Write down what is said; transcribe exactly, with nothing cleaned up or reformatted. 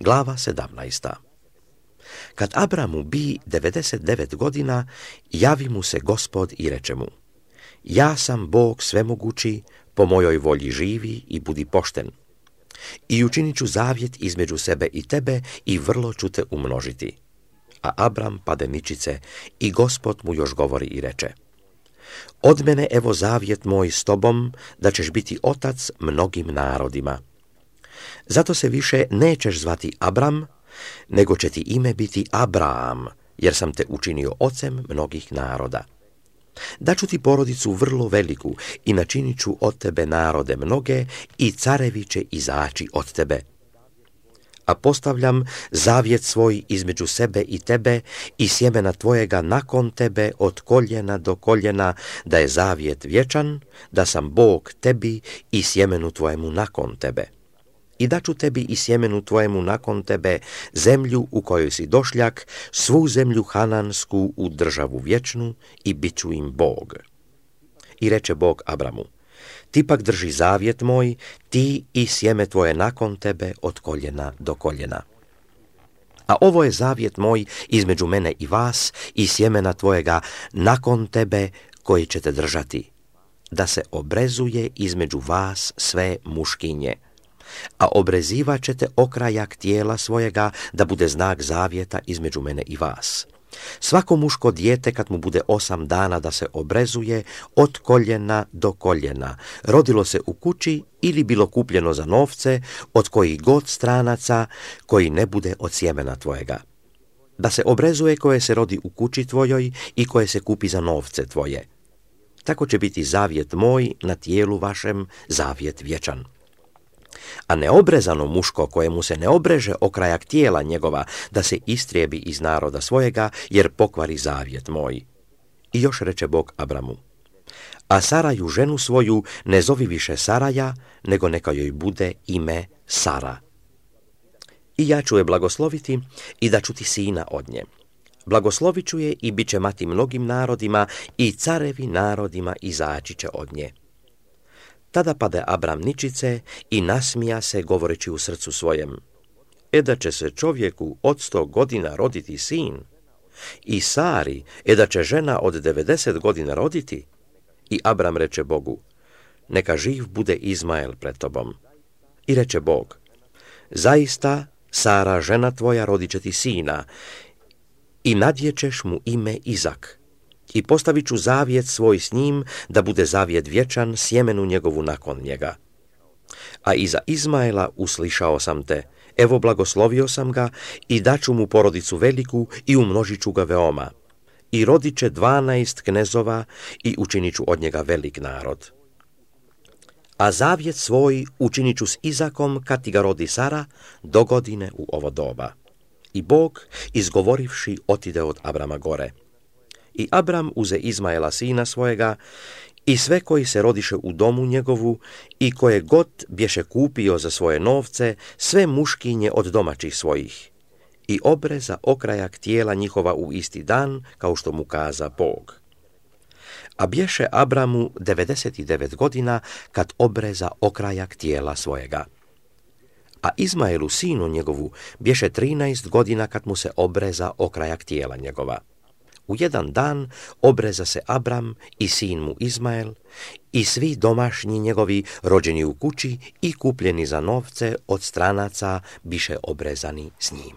Glava sedamnaesta. Kad Abramu bi devedeset devet godina, javi mu se Gospod i reče mu: Ja sam Bog svemogući, po mojoj volji živi i budi pošten. I učinit ću zavjet između sebe i tebe i vrlo ću te umnožiti. A Abram pade ničice i Gospod mu još govori i reče: Od mene evo zavjet moj s tobom, da ćeš biti otac mnogim narodima. Zato se više nećeš zvati Abram, nego će ti ime biti Abraham, jer sam te učinio ocem mnogih naroda. Daću ti porodicu vrlo veliku i načinit ću od tebe narode mnoge i carevi će izaći od tebe. A postavljam zavjet svoj između sebe i tebe i sjemena tvojega nakon tebe od koljena do koljena, da je zavjet vječan, da sam Bog tebi i sjemenu tvojemu nakon tebe. I daću tebi i sjemenu tvojemu nakon tebe zemlju u kojoj si došljak, svu zemlju hanansku u državu vječnu i bit ću im Bog. I reče Bog Abramu: Ti pak drži zavjet moj, ti i sjeme tvoje nakon tebe od koljena do koljena. A ovo je zavjet moj između mene i vas i sjemena tvojega nakon tebe koji ćete držati, da se obrezuje između vas sve muškinje. A obrezivat ćete okrajak tijela svojega, da bude znak zavjeta između mene i vas. Svako muško dijete kad mu bude osam dana da se obrezuje od koljena do koljena, rodilo se u kući ili bilo kupljeno za novce, od kojih god stranaca, koji ne bude od sjemena tvojega. Da se obrezuje koje se rodi u kući tvojoj i koje se kupi za novce tvoje. Tako će biti zavjet moj na tijelu vašem, zavjet vječan. A neobrezano muško kojemu se ne obreže okrajak tijela njegova, da se istrijebi iz naroda svojega, jer pokvari zavjet moj. I još reče Bog Abramu: A Saraju ženu svoju ne zovi više Saraja, nego neka joj bude ime Sara. I ja ću je blagosloviti i daću ti sina od nje. Blagoslovit ću je i bit će mati mnogim narodima i carevi narodima izaći će od nje. Tada pade Abram ničice i nasmija se govoreći u srcu svojem: E da će se čovjeku od sto godina roditi sin, i Sari, e da će žena od devedeset godina roditi. I Abram reče Bogu: Neka živ bude Izmael pred tobom. I reče Bog: Zaista, Sara, žena tvoja, rodit će ti sina, i nadjećeš mu ime Izak. I postavit ću zavjet svoj s njim, da bude zavjet vječan, sjemenu njegovu nakon njega. A iza Izmaela uslišao sam te, evo blagoslovio sam ga i daću mu porodicu veliku i umnožit ću ga veoma. I rodit će dvanaest knezova i učinit ću od njega velik narod. A zavjet svoj učinit ću s Izakom kad ti ga rodi Sara do godine u ovo doba. I Bog, izgovorivši, otide od Abrama gore. I Abram uze Izmaela sina svojega i sve koji se rodiše u domu njegovu i koje god bješe kupio za svoje novce, sve muškinje od domaćih svojih, i obreza okrajak tijela njihova u isti dan, kao što mu kaza Bog. A bješe Abramu devedeset devet godina kad obreza okrajak tijela svojega. A Izmaelu sinu njegovu bješe trinaest godina kad mu se obreza okrajak tijela njegova. U jedan dan obreza se Abram i sin mu Izmael i svi domašnji njegovi rođeni u kući i kupljeni za novce od stranaca biše obrezani s njim.